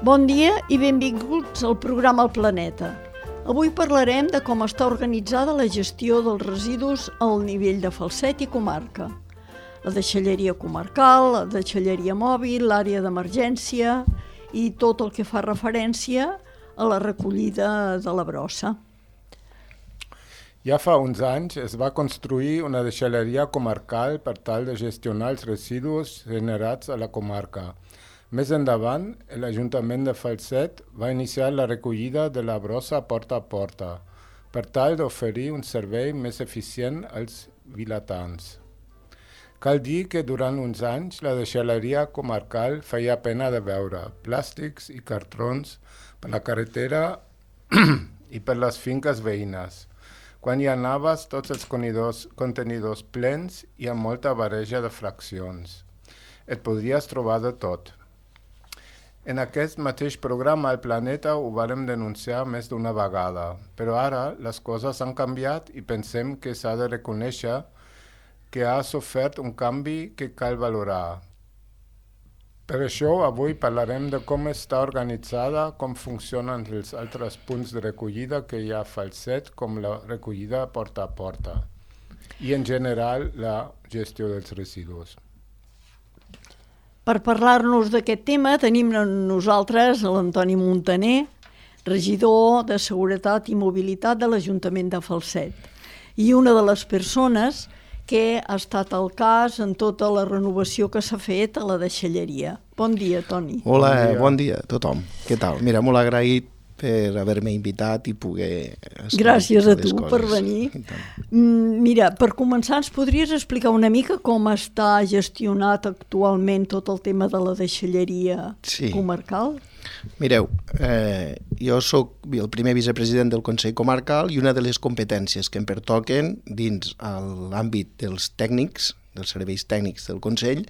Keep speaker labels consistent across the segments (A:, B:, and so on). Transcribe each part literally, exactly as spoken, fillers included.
A: Bon dia i benvinguts al programa El Planeta. Avui parlarem de com està organitzada la gestió dels residus al nivell de Falset i comarca. La deixalleria comarcal, la deixalleria mòbil, l'àrea d'emergència i tot el que fa referència a la recollida de la brossa.
B: Ja fa uns anys es va construir una deixalleria comarcal per tal de gestionar els residus generats a la comarca. Més endavant, l'Ajuntament de Falset va iniciar la recollida de la brossa porta a porta, per tal d'oferir un servei més eficient als vilatans. Cal dir que durant uns anys la deixalleria comarcal feia pena de veure plàstics i cartrons per la carretera i per les finques veïnes. Quan hi anaves, tots els contenidors, contenidors plens i amb molta barreja de fraccions. Et podries trobar de tot. En aquest mateix programa al Planeta ho vàrem denunciar més d'una vegada, però ara les coses han canviat i pensem que s'ha de reconèixer que ha sofert un canvi que cal valorar. Per això avui parlarem de com està organitzada, com funcionen els altres punts de recollida que hi ha a Falset, com la recollida porta a porta i en general la gestió dels residus.
A: Per parlar-nos d'aquest tema tenim nosaltres l'Antoni Montaner, regidor de Seguretat i Mobilitat de l'Ajuntament de Falset, i una de les persones que ha estat al cas en tota la renovació que s'ha fet a la deixalleria. Bon dia, Toni.
C: Hola, bon dia, bon dia a tothom. Què tal? Mira, molt agraït per haver-me invitat i poder...
A: Gràcies a tu per venir. Mira, per començar, ens podries explicar una mica com està gestionat actualment tot el tema de la deixalleria sí. comarcal?
C: Mireu, eh, jo sóc el primer vicepresident del Consell Comarcal i una de les competències que em pertoquen dins l'àmbit dels tècnics, dels serveis tècnics del Consell,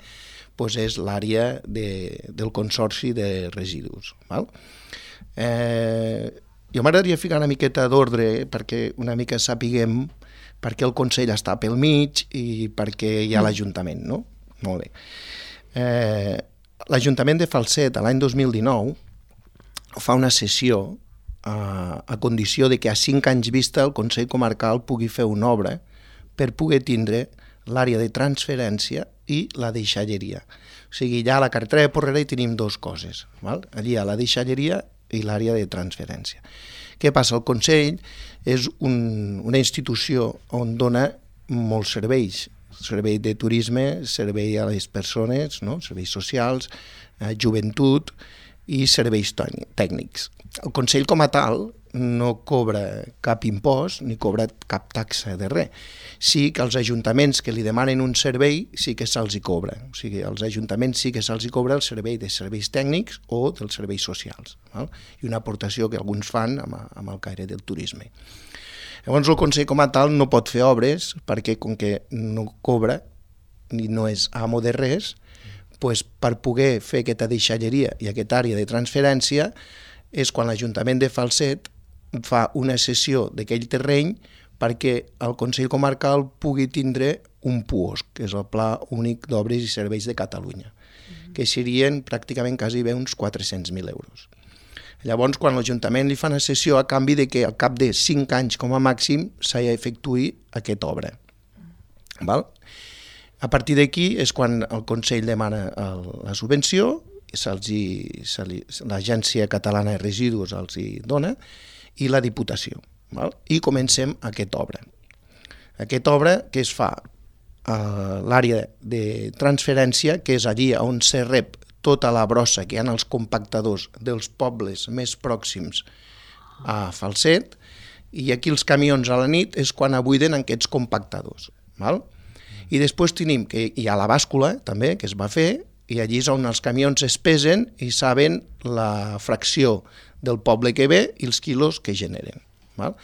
C: doncs és l'àrea de, del Consorci de Residus. Val? Eh, jo m'agradaria ficar una miqueta d'ordre perquè una mica sapiguem per què el Consell està pel mig i per què hi ha l'Ajuntament, no? Molt bé. Eh, L'Ajuntament de Falset, l'any dos mil dinou, fa una sessió a, a condició de que a cinc anys vista el Consell Comarcal pugui fer una obra per poder tindre l'àrea de transferència i la deixalleria. O sigui, ja a la carretera de Porrera hi tenim dues coses. Val? Allí hi ha la deixalleria i l'àrea de transferència. Què passa? El Consell és un, una institució on dona molts serveis. Servei de turisme, servei a les persones, no? Serveis socials, eh, joventut i serveis tècnics. El Consell com a tal no cobra cap impost ni cobra cap taxa de res. Sí que els ajuntaments que li demanen un servei sí que se'ls hi cobra. O sigui, als ajuntaments sí que se'ls hi cobra el servei de serveis tècnics o dels serveis socials. Val? I una aportació que alguns fan amb, amb el caire del turisme. Llavors el Consell com a tal no pot fer obres perquè com que no cobra ni no és amo de res, doncs per poder fer aquesta deixalleria i aquesta àrea de transferència és quan l'Ajuntament de Falset fa una cessió d'aquell terreny perquè el Consell Comarcal pugui tindre un P U O S, que és el Pla Únic d'Obres i Serveis de Catalunya, mm-hmm. que serien pràcticament quasi bé uns quatre-cents mil euros. Llavors, quan l'Ajuntament li fa una cessió a canvi de que al cap de cinc anys com a màxim s'ha d'efectuar aquesta obra. Val? A partir d'aquí és quan el Consell demana la subvenció, l'Agència Catalana de Residus els hi dona, i la Diputació. Val? I comencem aquesta obra. Aquesta obra que es fa a l'àrea de transferència, que és allí on se rep tota la brossa que hi ha als compactadors dels pobles més pròxims a Falset, i aquí els camions a la nit és quan abuiden aquests compactadors. Val? I després tenim que hi ha la bàscula, també, que es va fer, i allí és on els camions es pesen i saben la fracció del poble que ve i els quilos que generen. Val?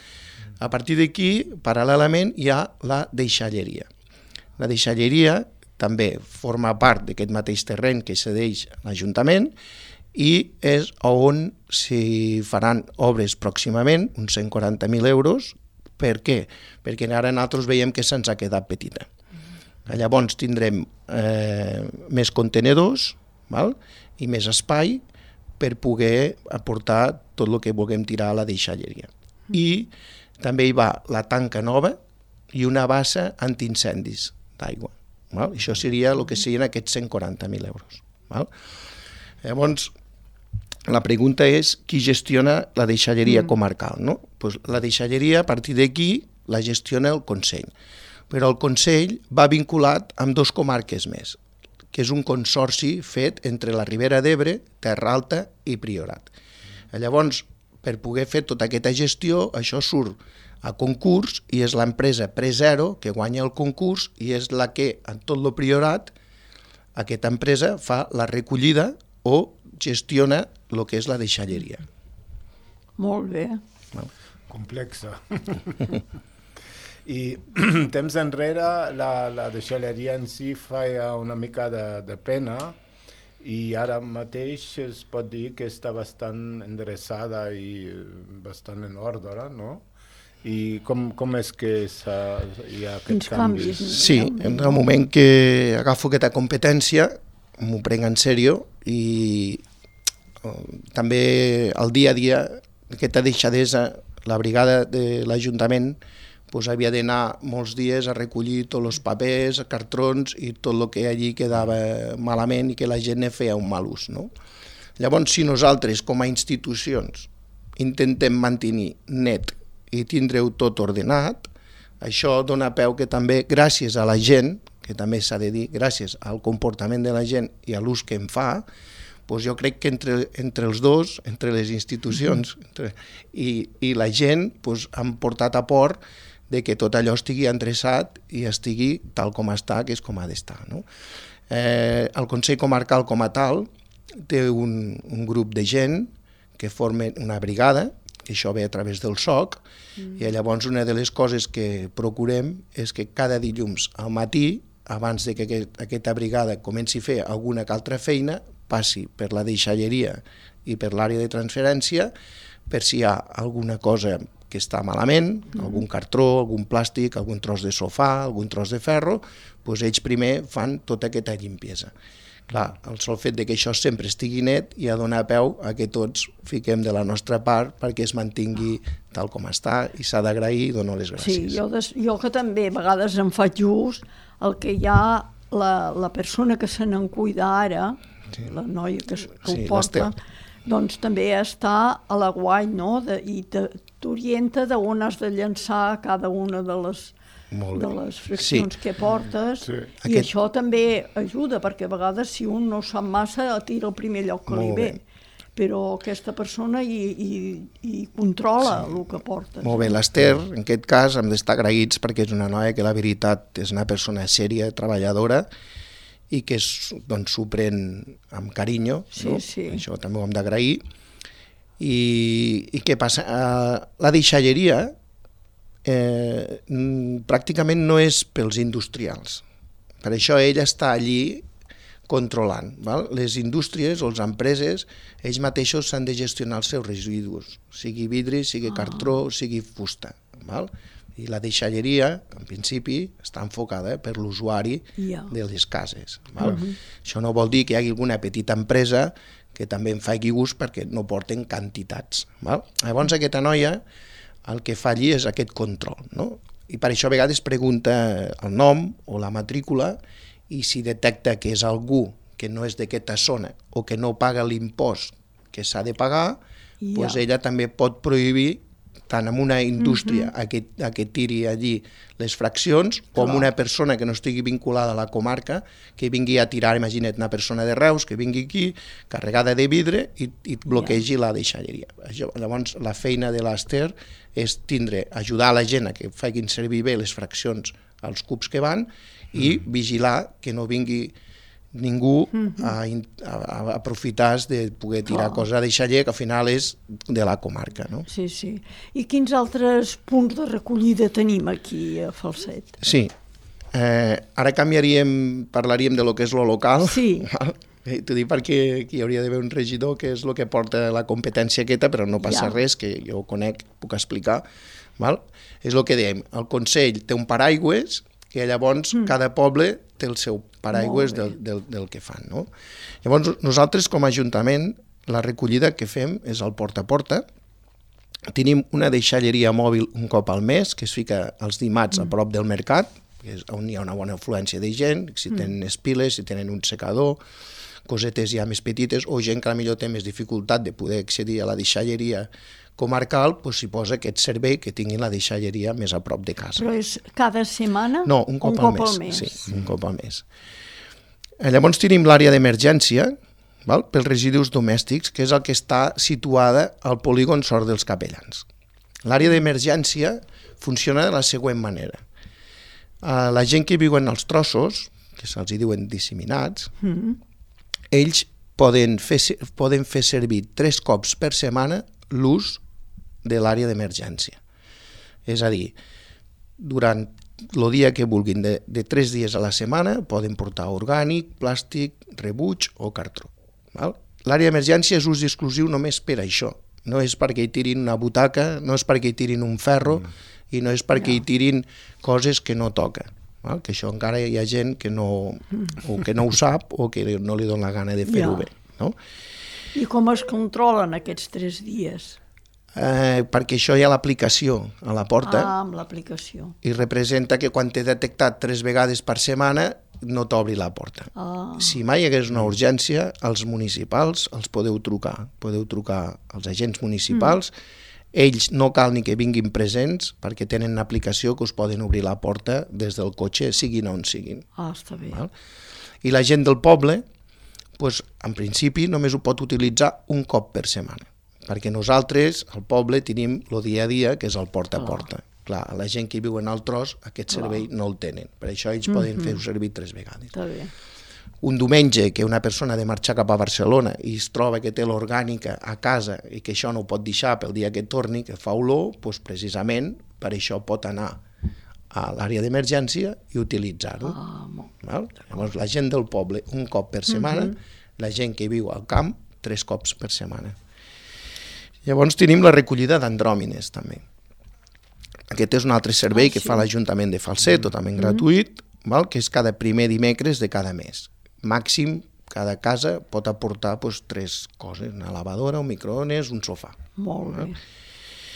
C: A partir d'aquí, paral·lelament, hi ha la deixalleria. La deixalleria també forma part d'aquest mateix terreny que cedeix l'Ajuntament i és on s'hi faran obres pròximament, uns cent quaranta mil euros. Per què? Perquè ara nosaltres veiem que se'ns ha quedat petita. Llavors tindrem eh, més contenedors, val? I més espai per poder aportar tot el que vulguem tirar a la deixalleria. I també hi va la tanca nova i una bassa antiincendis d'aigua. Val? Això seria el que serien aquests cent quaranta mil euros. Val? Llavors, la pregunta és qui gestiona la deixalleria mm. comarcal, no? Pues la deixalleria, a partir d'aquí, la gestiona el Consell. Però el Consell va vinculat amb dos comarques més, que és un consorci fet entre la Ribera d'Ebre, Terra Alta i Priorat. Llavors, per poder fer tota aquesta gestió, això surt a concurs i és l'empresa Prezero que guanya el concurs i és la que, en tot el Priorat, aquesta empresa fa la recollida o gestiona el que és la deixalleria.
A: Molt bé.
B: No? Complexa. I temps enrere la, la deixalleria en si feia una mica de, de pena i ara mateix es pot dir que està bastant endreçada i bastant en ordre, no? I com, com és que hi ha aquests canvis?
C: Sí, en el moment que agafo aquesta competència m'ho prenc en sèrio i també al dia a dia aquesta deixadesa, la brigada de l'Ajuntament pues, havia d'anar molts dies a recollir tots els papers, cartrons i tot el que allí quedava malament i que la gent ne feia un mal ús. No? Llavors, si nosaltres com a institucions intentem mantenir net i tindre-ho tot ordenat, això dona peu que també gràcies a la gent, que també s'ha de dir, gràcies al comportament de la gent i a l'ús que en fa, doncs jo crec que entre, entre els dos, entre les institucions entre, i, i la gent, doncs han portat a port de que tot allò estigui endreçat i estigui tal com està, que és com ha d'estar. No? Eh, el Consell Comarcal com a tal té un, un grup de gent que formen una brigada, que això ve a través del S O C, mm. i llavors una de les coses que procurem és que cada dilluns al matí, abans de que aquest, aquesta brigada comenci a fer alguna altra feina, passi per la deixalleria i per l'àrea de transferència, per si hi ha alguna cosa que està malament, mm. algun cartró, algun plàstic, algun tros de sofà, algun tros de ferro, doncs ells primer fan tota aquesta limpiesa. Clar, el sol fet de que això sempre estigui net i ha donat peu a que tots fiquem de la nostra part perquè es mantingui tal com està i s'ha d'agrair i dono les gràcies.
A: Sí, jo, des, jo que també a vegades em faig ús, el que hi ha, la, la persona que se n'en cuida ara, sí. la noia que, que sí, ho porta, doncs també està a la guany, no? De, i t'orienta d'on has de llançar cada una de les... de les fraccions sí. que portes sí. i Aquest... això també ajuda perquè a vegades si un no sap massa tira al primer lloc que Molt li ve bé. Però aquesta persona hi, hi, hi controla sí. el que portes.
C: Molt bé, l'Ester en aquest cas hem d'estar agraïts perquè és una noia que la veritat és una persona sèria, treballadora i que doncs, s'ho pren amb carinyo,
A: sí,
C: no?
A: sí.
C: Això també ho hem d'agrair. I, i què passa? Uh, la deixalleria Eh, pràcticament no és pels industrials. Per això ell està allí controlant. Val? Les indústries o les empreses, ells mateixos s'han de gestionar els seus residus, sigui vidre, sigui cartró, sigui fusta. Val? I la deixalleria, en principi, està enfocada per l'usuari yeah. de les cases. Val? Uh-huh. Això no vol dir que hi hagi alguna petita empresa que també en faci gust perquè no porten quantitats. Val? Llavors aquesta noia el que fa allí és aquest control, no? I per això a vegades pregunta el nom o la matrícula i si detecta que és algú que no és d'aquesta zona o que no paga l'impost que s'ha de pagar, yeah. doncs ella també pot prohibir tant amb una indústria uh-huh. a, que, a que tiri allí les fraccions com oh. una persona que no estigui vinculada a la comarca que vingui a tirar, imagina't, una persona de Reus que vingui aquí carregada de vidre i, i bloquegi yeah. la deixalleria. Llavors la feina de l'Ester és tindre, ajudar a la gent a que facin servir bé les fraccions als cubs que van i mm. vigilar que no vingui ningú mm-hmm. a, a, a aprofitar de poder tirar oh. cosa de deixaller que al final és de la comarca. No?
A: Sí, sí. I quins altres punts de recollida tenim aquí a Falset?
C: Sí. Eh, ara canviaríem, parlaríem de lo que és lo local.
A: Sí.
C: T'ho dic perquè aquí hi hauria d'haver un regidor que és el que porta la competència aquesta, però no passa ja. res, que jo ho conec, puc explicar. Val? És el que dèiem, el Consell té un paraigües que llavors mm. cada poble té el seu paraigües del, del, del que fan. No? Llavors nosaltres com a Ajuntament la recollida que fem és al porta a porta. Tenim una deixalleria mòbil un cop al mes, que es fica els dimarts a prop del mercat, que és on hi ha una bona afluència de gent, si tenen espiles, si tenen un secador, cosetes ja més petites, o gent que potser té més dificultat de poder accedir a la deixalleria comarcal, doncs s'hi posa aquest servei que tinguin la deixalleria més a prop de casa.
A: Però és cada setmana?
C: No, un cop,
A: un
C: al,
A: cop
C: mes.
A: al mes.
C: Sí, un cop al mes. Llavors tenim l'àrea d'emergència, val? Pels residus domèstics, que és el que està situada al polígon Sort dels Capellans. L'àrea d'emergència funciona de la següent manera. La gent que viuen als trossos, que se'ls diuen disseminats, mm. ells poden fer, poden fer servir tres cops per setmana l'ús de l'àrea d'emergència. És a dir, durant el dia que vulguin, de, de tres dies a la setmana, poden portar orgànic, plàstic, rebuig o cartró. L'àrea d'emergència és ús exclusiu només per això. No és perquè hi tirin una butaca, no és perquè hi tirin un ferro mm. i no és perquè no. hi tirin coses que no toca. Val? Que això encara hi ha gent que no, o que no ho sap o que no li dona la gana de fer-ho ja. bé. No?
A: I com es controlen aquests tres dies?
C: Eh, perquè això hi ha l'aplicació a la porta
A: ah, amb l'aplicació.
C: I representa que quan t'he detectat tres vegades per setmana no t'obri la porta. Ah. Si mai hi hagués una urgència, els municipals els podeu trucar. Podeu trucar als agents municipals. Mm. Ells no cal ni que vinguin presents perquè tenen una aplicació que us poden obrir la porta des del cotxe, siguin on siguin.
A: Ah, està bé.
C: Val? I la gent del poble, doncs, en principi, només ho pot utilitzar un cop per setmana. Perquè nosaltres, al poble, tenim el dia a dia, que és el porta a porta. Ah. Clar, la gent que viu en el tros, aquest servei ah. no el tenen. Per això ells mm-hmm. poden fer-ho servir tres vegades.
A: Està bé.
C: Un diumenge que una persona ha de marxar cap a Barcelona i es troba que té l'orgànica a casa i que això no ho pot deixar pel dia que torni, que fa olor, doncs precisament per això pot anar a l'àrea d'emergència i utilitzar-ho. Ah, Llavors, la gent del poble, un cop per setmana, mm-hmm. la gent que viu al camp, tres cops per setmana. Llavors tenim la recollida d'andròmines, també. Aquest és un altre servei ah, que sí. fa l'Ajuntament de Falset, mm-hmm. totalment gratuït, val? Que és cada primer dimecres de cada mes. Màxim, cada casa pot aportar doncs, tres coses, una lavadora, un microones, un sofà.
A: Molt bé.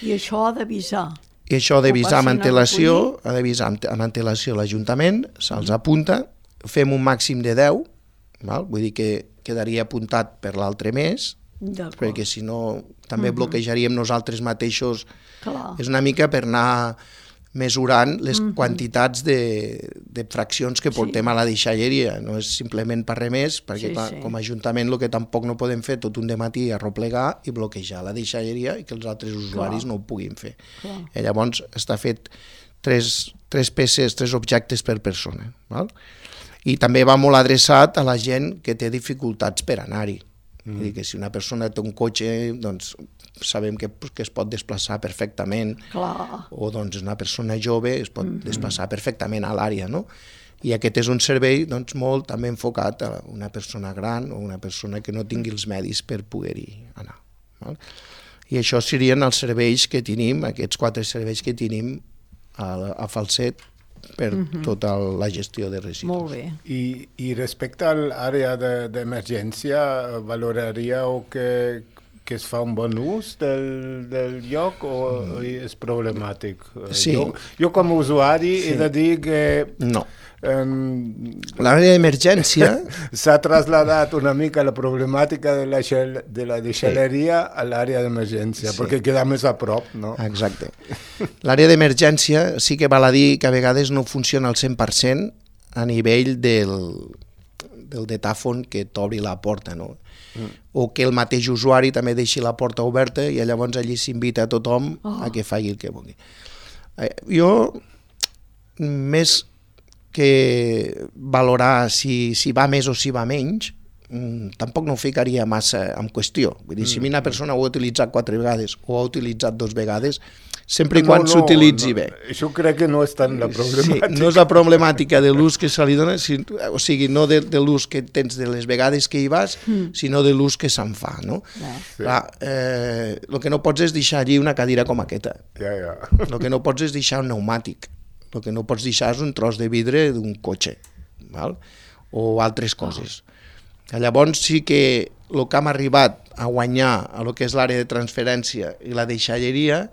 A: I això ha d'avisar.
C: I això ha d'avisar amb antelació, ha d'avisar amb antelació l'Ajuntament, se'ls apunta, fem un màxim de deu, val? Vull dir que quedaria apuntat per l'altre mes, perquè si no també uh-huh. bloquejaríem nosaltres mateixos. Clar. És una mica per anar mesurant les uh-huh. quantitats de, de fraccions que portem sí. a la deixalleria. No és simplement per res més, perquè sí, clar, sí. com a Ajuntament el que tampoc no podem fer tot un dematí arroplegar i bloquejar la deixalleria i que els altres usuaris clar. no ho puguin fer. I llavors està fet tres, tres peces, tres objectes per persona. Val? I també va molt adreçat a la gent que té dificultats per anar-hi. Mm. Vull dir que si una persona té un cotxe, doncs sabem que, que es pot desplaçar perfectament. Clar. O doncs una persona jove es pot mm-hmm. desplaçar perfectament a l'àrea, no? I aquest és un servei doncs, molt també enfocat a una persona gran o una persona que no tingui els medis per poder-hi anar. Val? I això serien els serveis que tenim, aquests quatre serveis que tenim a, a Falset, per uh-huh. tota la gestió de residus.
A: Molt bé.
B: I, i respecte a l'àrea d'emergència, valoraríeu que, que es fa un bon ús del, del lloc o mm. és problemàtic?
C: Sí.
B: Jo, jo com a usuari sí. he de dir que...
C: No.
B: Um,
C: L'àrea d'emergència...
B: s'ha traslladat una mica la problemàtica de la, xel, de la deixalleria sí. a l'àrea d'emergència, sí. perquè queda més a prop, no?
C: Exacte. L'àrea d'emergència sí que val a dir que a vegades no funciona al cent per cent a nivell del, del datàfon que t'obri la porta, no? Mm. O que el mateix usuari també deixi la porta oberta i llavors allí s'invita a tothom oh. a que faci el que vulgui. Jo, més que valorar si, si va més o si va menys, mm, tampoc no ho ficaria massa en qüestió. Vull dir, mm. si una persona ho ha utilitzat quatre vegades o ha utilitzat dos vegades, sempre i no, quan no, s'utilitzi no, bé.
B: Això crec que no és tant la problemàtica.
C: Sí, no és la problemàtica de l'ús que se li dona, si, o sigui, no de, de l'ús que tens de les vegades que hi vas, mm. sinó de l'ús que se'n fa, no? Yeah. Clar, eh, el que no pots és deixar allí una cadira com aquesta.
B: Ja, ja.
C: El que no pots és deixar un pneumàtic. El que no pots deixar és un tros de vidre d'un cotxe, val? O altres coses. Oh. Llavors sí que el que hem arribat a guanyar a lo que és l'àrea de transferència i la deixalleria,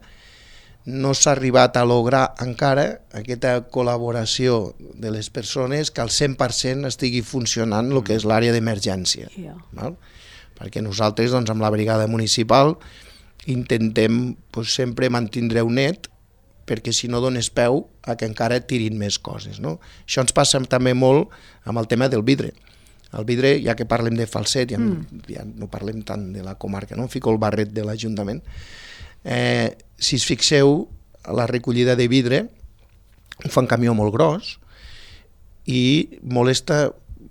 C: no s'ha arribat a lograr encara aquesta col·laboració de les persones que al cent per cent estigui funcionant el que és l'àrea d'emergència. Yeah. Val? Perquè nosaltres, doncs, amb la brigada municipal intentem pues, sempre mantindre un net, perquè si no dones peu a que encara tirin més coses. No? Això ens passa també molt amb el tema del vidre. El vidre, ja que parlem de Falset, ja, mm. ja no parlem tant de la comarca, no? Em fico el barret de l'Ajuntament. Eh, si es fixeu, la recollida de vidre ho fa un camió molt gros i molesta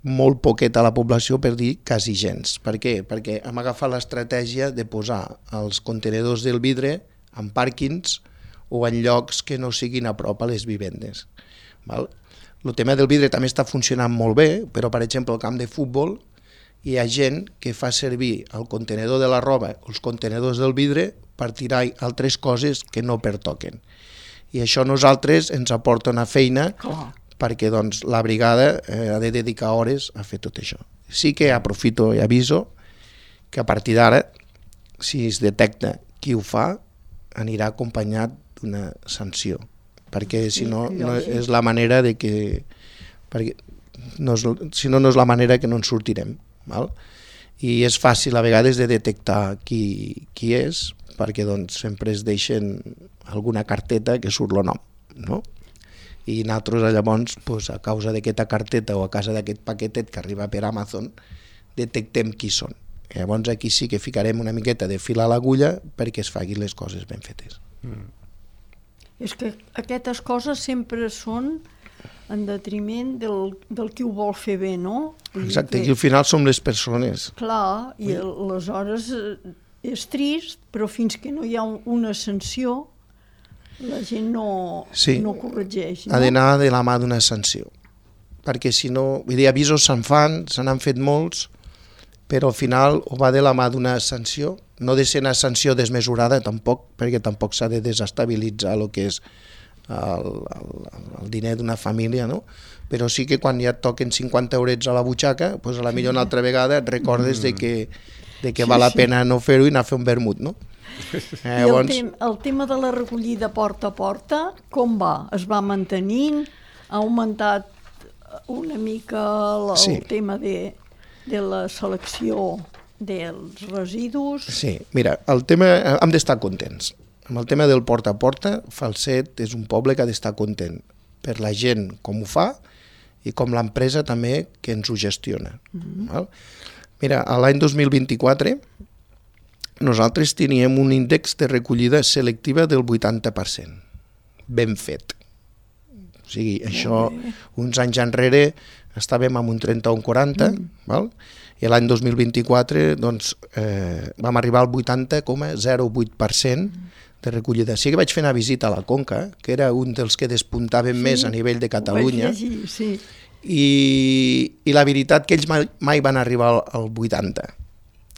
C: molt poquet a la població, per dir quasi gens. Per què? Perquè hem agafat l'estratègia de posar els contenedors del vidre en pàrquings o en llocs que no siguin a prop a les vivendes. Val? El tema del vidre també està funcionant molt bé, però per exemple al camp de futbol hi ha gent que fa servir el contenedor de la roba o els contenedors del vidre per tirar altres coses que no pertoquen. I això a nosaltres ens aporta una feina oh. perquè doncs, la brigada eh, ha de dedicar hores a fer tot això. Sí que aprofito i aviso que a partir d'ara, si es detecta qui ho fa, anirà acompanyat d'una sanció, perquè si no, no és la manera de que... perquè no és, si no, no és la manera que no en sortirem. Val? I és fàcil a vegades de detectar qui, qui és, perquè doncs, sempre es deixen alguna carteta que surt el nom, no? I nosaltres llavors, doncs, a causa d'aquesta carteta o a causa d'aquest paquetet que arriba per Amazon, detectem qui són. I llavors aquí sí que ficarem una miqueta de fil a l'agulla perquè es facin les coses ben fetes. Mm.
A: És que aquestes coses sempre són en detriment del, del qui ho vol fer bé, no?
C: Exacte, que... i al final som les persones.
A: Clar, i aleshores és trist, però fins que no hi ha una sanció, la gent no,
C: sí,
A: no corregeix. No?
C: Ha d'anar de la mà d'una sanció, perquè si no, vull dir, avisos se'n fan, se n'han fet molts, però al final ho va de la mà d'una sanció, no de ser una sanció desmesurada tampoc, perquè tampoc s'ha de desestabilitzar el que és el, el, el diner d'una família, no? Però sí que quan ja et toquen cinquanta eurets a la butxaca, doncs a la millor una altra vegada et recordes mm. de que, de que sí, val la pena sí. no fer-ho i anar a fer un vermut, no?
A: Eh, I el, tem el tema de la recollida porta a porta, com va? Es va mantenint? Ha augmentat una mica el, sí. el tema de, de la selecció dels residus?
C: Sí, mira, el tema, hem d'estar contents. Amb el tema del porta a porta, Falset és un poble que ha d'estar content per la gent com ho fa i com l'empresa també que ens ho gestiona. Mm-hmm. Val? Mira, l'any dos mil vint-i-quatre nosaltres teníem un índex de recollida selectiva del vuitanta per cent. Ben fet. O sigui, això uns anys enrere estàvem amb un trenta-un quaranta, mm. val? I l'any dos mil vint-i-quatre doncs, eh, vam arribar al vuitanta coma zero vuit per cent de recollida. Sí que vaig fer una visita a la Conca, que era un dels que despuntaven sí, més a nivell de Catalunya,
A: llegir, sí.
C: i, i la veritat que ells mai, mai van arribar al, al vuitanta,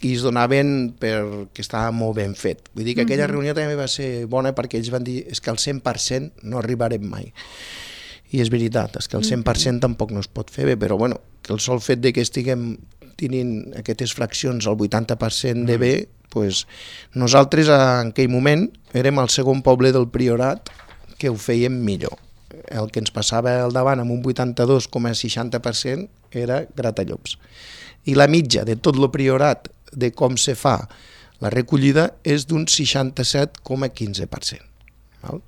C: i es donaven perquè estava molt ben fet. Vull dir que aquella reunió també va ser bona perquè ells van dir és que al cent per cent no arribarem mai. I és veritat, és que el cent per cent tampoc no es pot fer bé, però bueno, que el sol fet de que estiguem tenint aquestes fraccions al vuitanta per cent de bé, pues, nosaltres en aquell moment érem el segon poble del Priorat que ho fèiem millor. El que ens passava al davant amb un vuitanta-dos coma seixanta per cent era Gratallops. I la mitja de tot el Priorat de com se fa la recollida és d'un seixanta-set coma quinze per cent. Val?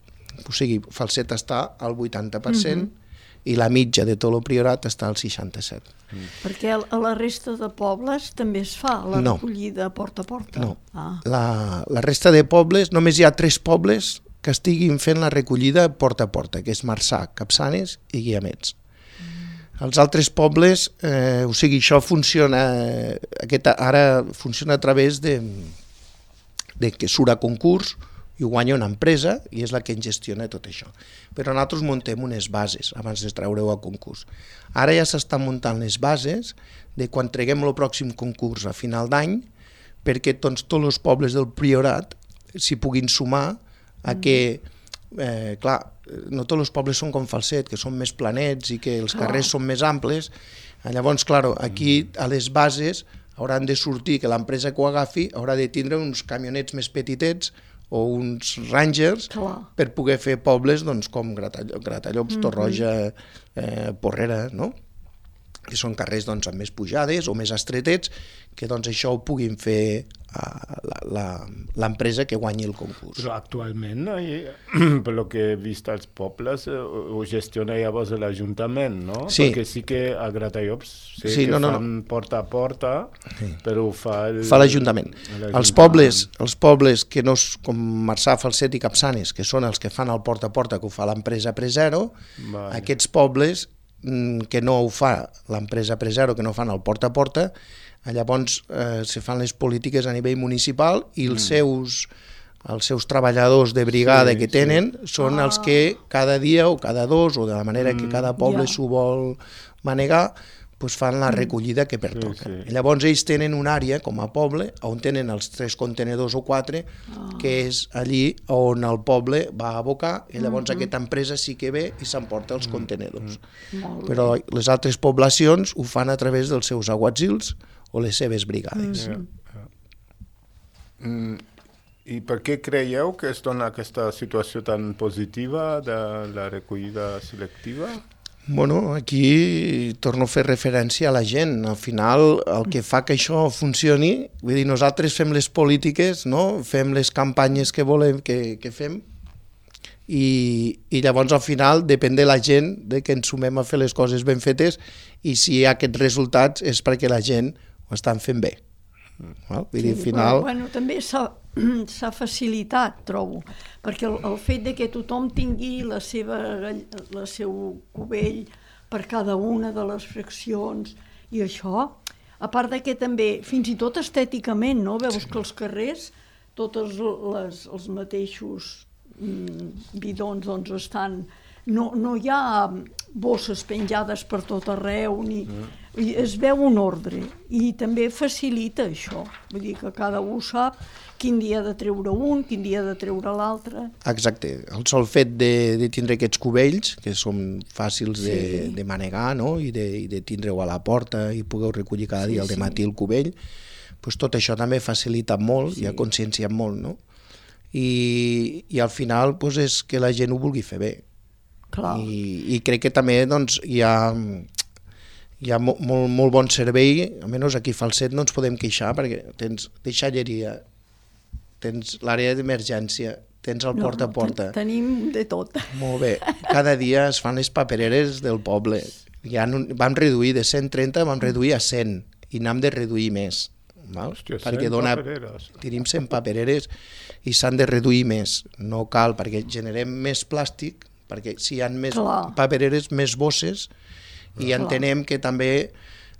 C: O sigui, Falset està al vuitanta per cent mm-hmm. i la mitja de tot el Priorat està al seixanta-set.
A: Mm. Perquè a la resta de pobles també es fa la no. recollida porta a porta?
C: No, ah. la, la resta de pobles, només hi ha tres pobles que estiguin fent la recollida porta a porta, que és Marçà, Capçanes i Guiamets. Els altres pobles, eh, o sigui, això funciona, eh, aquesta, ara funciona a través de, de que surt a concurs i ho guanya una empresa i és la que en gestiona tot això. Però nosaltres muntem unes bases abans de treure-ho a concurs. Ara ja s'estan muntant les bases de quan treguem el pròxim concurs a final d'any perquè doncs, tots els pobles del Priorat s'hi puguin sumar a que, eh, clar, no tots els pobles són com Falset, que són més planets i que els carrers oh. són més amples. Llavors, clar, aquí a les bases hauran de sortir, que l'empresa que ho agafi haurà de tindre uns camionets més petitets o uns Rangers
A: Clar.
C: per poder fer pobles doncs, com Gratallops, Gratallops mm -hmm. Torroja, eh, Porrera, no? Que són carrers doncs, amb més pujades o més estretets, que doncs, això ho puguin fer uh, l'empresa que guanyi el concurs.
B: Però actualment, eh, per lo que he vist als pobles, eh, ho gestiona llavors l'Ajuntament, no?
C: Sí.
B: Perquè sí que a Gratallops sé
C: sí,
B: que
C: no, no,
B: fan
C: no.
B: porta a porta, sí. però ho fa el...
C: Fa l'Ajuntament. Els pobles, els pobles que no, com Marçà, Falset i Capçanes, que són els que fan el porta a porta, que ho fa l'empresa Presero, vale. Aquests pobles que no ho fa l'empresa Presero, que no fan el porta a porta, llavors eh, se fan les polítiques a nivell municipal i els, mm. seus, els seus treballadors de brigada sí, que tenen sí. són ah. els que cada dia o cada dos, o de la manera mm. que cada poble yeah. s'ho vol manegar, pues fan la recollida que pertoca. Sí, sí. Llavors ells tenen una àrea, com a poble, on tenen els tres contenedors o quatre, oh. que és allí on el poble va a abocar, i llavors mm-hmm. aquesta empresa sí que ve i s'emporta els mm-hmm. contenedors. Mm-hmm. Però les altres poblacions ho fan a través dels seus aguatzils o les seves brigades.
B: Mm-hmm. Yeah. Mm, I per què creieu que es dona aquesta situació tan positiva de la recollida selectiva?
C: Bueno, aquí torno a fer referència a la gent. Al final, el que fa que això funcioni, vull dir, nosaltres fem les polítiques, no? Fem les campanyes que volem que, que fem, i, i llavors al final depèn de la gent, de que ens sumem a fer les coses ben fetes, i si hi ha aquests resultats és perquè la gent ho estan fent bé. Vull dir, al final...
A: Bueno, també s'ha facilitat, trobo, perquè el, el fet de que tothom tingui la seva, la seu cubell per cada una de les fraccions i això, a part de que també, fins i tot estèticament, no? Veus sí. que els carrers, tots les, els mateixos mm, bidons doncs estan... No, no hi ha bosses penjades per tot arreu, ni... Mm. es veu un ordre, i també facilita això, vull dir que cada un sap quin dia ha de treure un, quin dia ha de treure l'altre.
C: Exacte, el sol fet de, de tindre aquests cubells, que són fàcils sí. de, de manegar, no? I de, i de tindre-ho a la porta i pugueu recollir cada dia sí, al dematí sí. el cubell, pues tot això també facilita molt sí. i ha conscienciat molt, no? I, i al final pues, és que la gent ho vulgui fer bé.
A: Clar.
C: I, i crec que també doncs, hi ha... hi ha molt, molt, molt bon servei, almenys aquí a Falset no ens podem queixar perquè tens deixalleria, tens l'àrea d'emergència, tens el porta a porta.
A: No, ten, tenim de tot.
C: Molt bé. Cada dia es fan les papereres del poble. Ja no, vam reduir de cent trenta, vam reduir a cent i n'hem de reduir més. Val?
B: Hòstia,
C: perquè
B: cent
C: dona,
B: papereres.
C: tenim cent papereres i s'han de reduir més. No cal, perquè generem més plàstic, perquè si hi ha més Clar. papereres, més bosses, i entenem que també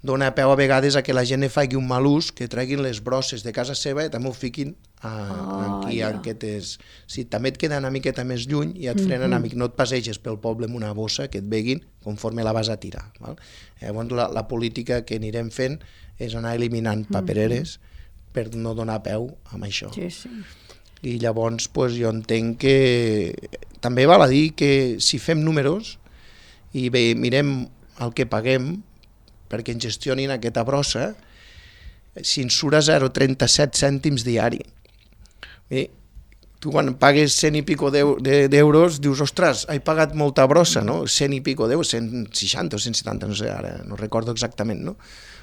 C: dona peu a vegades a que la gent ne faci un mal ús, que treguin les brosses de casa seva i també ho fiquin a,
A: ah,
C: aquí
A: ja.
C: en aquestes... Si també et queda una miqueta més lluny i et frenen, mm-hmm. amic, no et passeges pel poble amb una bossa que et veguin conforme la vas a tirar. Val? Llavors la, la política que anirem fent és anar eliminant papereres mm-hmm. per no donar peu amb això.
A: Sí, sí.
C: I llavors pues, jo entenc que també val a dir que si fem números i bé, mirem el que paguem perquè ens gestionin aquesta brossa, si ens surt a zero coma trenta-set cèntims diari. Bé, tu quan pagues cent i pico d'euros dius, ostres, he pagat molta brossa, no? cent i pico d'euros, cent seixanta o cent setanta, no sé, ara no recordo exactament, no?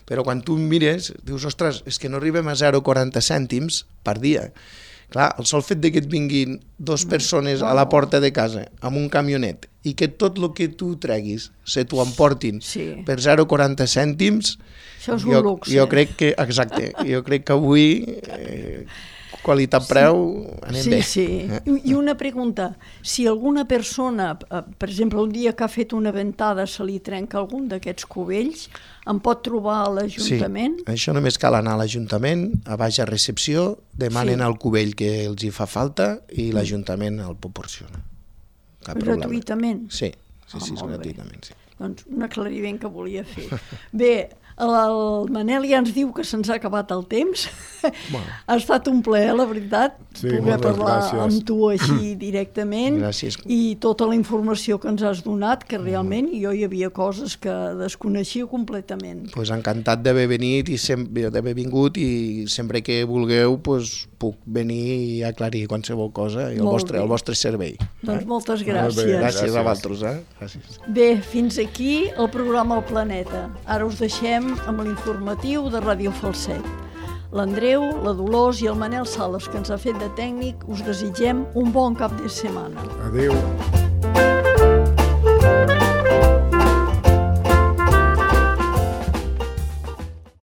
C: Però quan tu mires, dius, ostres, és que no arribem a zero coma quaranta cèntims per dia. Clar, el sol fet que et vinguin dues persones a la porta de casa amb un camionet i que tot el que tu treguis se t'ho emportin
A: sí.
C: per zero coma quaranta cèntims,
A: això és un
C: jo,
A: luxe.
C: Jo crec que, exacte, jo crec que avui eh, qualitat-preu anem
A: sí,
C: bé.
A: Sí, sí. I una pregunta, si alguna persona, per exemple, un dia que ha fet una ventada se li trenca algun d'aquests cubells, em pot trobar a l'Ajuntament?
C: Sí, això només cal anar a l'Ajuntament, a baix a recepció, demanen sí. el cubell que els hi fa falta i l'Ajuntament el proporciona. Cap
A: gratuïtament?
C: Problema. Sí, sí, sí, ah, és gratuïtament. Sí.
A: Doncs un aclariment que volia fer. Bé, El Manel ja ens diu que se'ns ha acabat el temps.
C: Bueno.
A: Ha estat un plaer, la veritat,
B: Sí,
A: poder
B: moltes
A: parlar
B: gràcies.
A: amb tu així directament.
C: Gràcies.
A: I tota la informació que ens has donat, que realment jo hi havia coses que desconeixia completament.
C: Pues encantat d'haver venit i sempre d'haver vingut i sempre que vulgueu pues, puc venir i aclarir qualsevol cosa i el
A: Molt
C: vostre,
A: bé.
C: el vostre servei.
A: Doncs moltes
B: Molt bé,
A: gràcies.
C: Gràcies,
B: gràcies.
C: a vosaltres. Eh? Gràcies.
A: Bé, fins aquí el programa El Planeta. Ara us deixem amb l'informatiu de Ràdio Falset. L'Andreu, la Dolors i el Manel Sales, que ens ha fet de tècnic, us desitgem un bon cap de setmana.
B: Adéu.